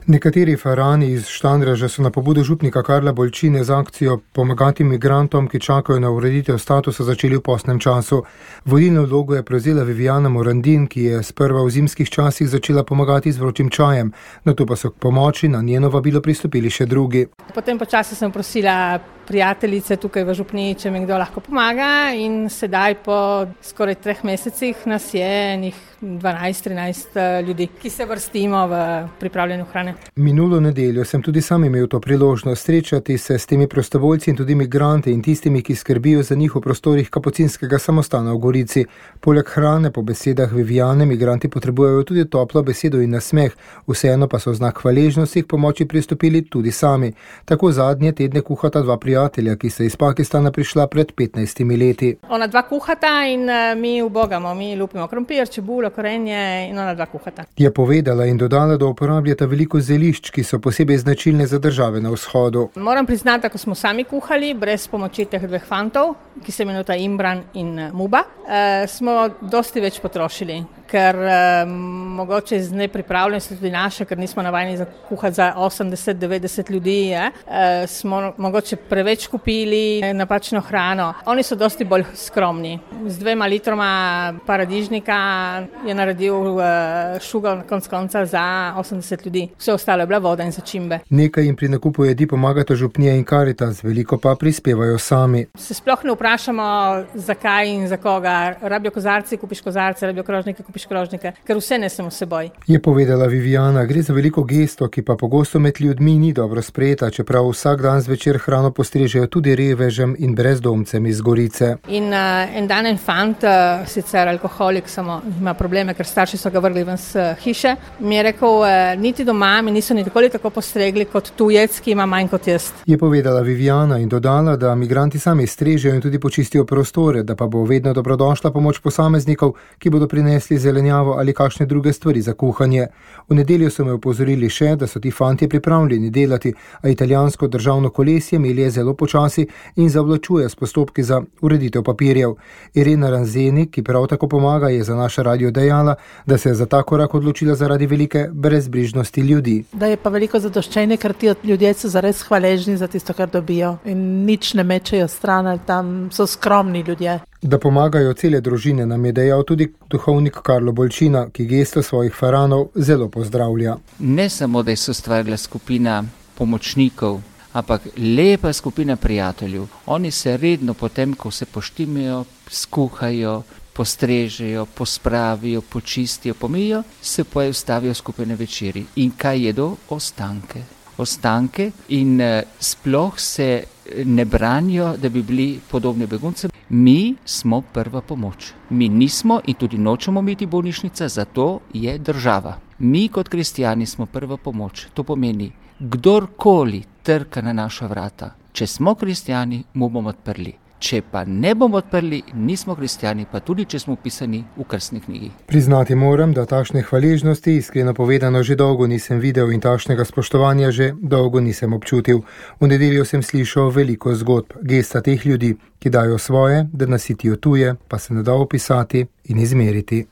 Nekateri farani iz Štandreža so na pobudo župnika Karla Bolčine z akcijo Pomagati migrantom, ki čakajo na ureditev statusa, začeli v postnem času. Vodilno vlogo je prevzela Viviana Morandin, ki je sprva v zimskih časih začela pomagati z vročim čajem, nato pa so k pomoči na njeno vabilo pristopili še drugi. Potem počasi sem prosila prijateljice tukaj v župniji, če mi kdo lahko pomaga, in sedaj po skoraj 3 mesecih nas je enih 12-13 ljudi, ki se vrstimo v pripravljanju hrane. Minulo nedeljo sem tudi sam imel to priložnost srečati se s temi prostovoljci in tudi migranti in tistimi, ki skrbijo za njih v prostorih Kapucinskega samostana v Gorici. Poleg hrane, po besedah Viviane, migranti potrebujejo tudi toplo besedo in nasmeh, vseeno pa so v znak hvaležnosti k pomoči pristopili tudi sami. Tako zadnje tedne kuhata 2 prijatelja, ki sta iz Pakistana prišla pred 15 leti. Ona 2 kuhata in mi ubogamo, mi lupimo krompir, čebulo, korenje in ona 2 kuhata. Je povedala in dodala, da uporabljata veliko zelišč, ki so posebej značilne za države na vzhodu. Moram priznati, ko smo sami kuhali, brez pomoči teh 2 fantov, ki se imenujeta Imran in Muba, smo dosti več potrošili, ker mogoče z nepripravljenosti tudi naše, ker nismo navajeni kuhati za 80-90 ljudi, smo mogoče preveč kupili napačno hrano. Oni so dosti bolj skromni. Z 2 litroma paradižnika je naredil šugal konc konca za 80 ljudi. Vse ostalo je bila voda in začimbe. Nekaj jim pri nakupu jedi pomagata župnija in Karitas, veliko pa prispevajo sami. Se sploh ne vprašamo, zakaj in za koga. Rabijo kozarci, kupiš kozarce, rabijo krožnike, kupiš krožnike, ker vse nesemo s seboj. Je povedala Viviana, gre za veliko gesto, ki pa pogosto med ljudmi ni dobro sprejeta, čeprav vsak dan zvečer hrano postrežejo tudi revežem in brezdomcem iz Gorice. In en dan en fant, sicer alkoholik, samo ima probleme, ker starši so ga vrgli ven s hiše, mi je rekel, niti doma mi niso nikoli tako postregli kot tujec, ki ima manj kot jaz. Je povedala Viviana in dodala, da migranti sami strežejo in tudi počistijo prostore, da pa bo vedno dobrodošla pomoč posameznikov, ki bodo prinesli zelenjavo ali kakšne druge stvari za kuhanje. V nedeljo so me opozorili še, da so ti fantje pripravljeni delati, a italijansko državno kolesje melje zelo počasi in zavlačuje s postopki za ureditev papirjev. Irena Ranzeni, ki prav tako pomaga, je za naš radio dejala, da se je za ta korak odločila zaradi velike brezbrižnosti ljudi. Da je pa veliko zadoščenje, ker ti ljudje so zares hvaležni za tisto, kar dobijo in nič ne mečejo stran, tam so skromni ljudje. Da pomagajo cele družine, nam je dejal tudi duhovnik Karlo Bolčina, ki gesto svojih faranov zelo pozdravlja. Ne samo, da je se ustvarila skupina pomočnikov, ampak lepa skupina prijateljev. Oni se redno potem, ko se poštimajo, skuhajo, postrežejo, pospravijo, počistijo, pomijo, se pojavijo skupaj na večeri. In kaj jedo? Ostanke in sploh se ne branijo, da bi bili podobni beguncem. Mi smo prva pomoč. Mi nismo in tudi nočemo biti bolnišnica, zato je država. Mi kot kristijani smo prva pomoč. To pomeni, kdorkoli trka na naša vrata, če smo kristijani, mu bomo odprli. Če pa ne bomo odprli, nismo kristijani, pa tudi če smo upisani v krstni knjigi. Priznati moram, da takšne hvaležnosti, iskreno povedano, že dolgo nisem videl in takšnega spoštovanja že dolgo nisem občutil. V nedeljo sem slišal veliko zgodb, gesta teh ljudi, ki dajo svoje, da nasitijo tuje, pa se ne da opisati in izmeriti.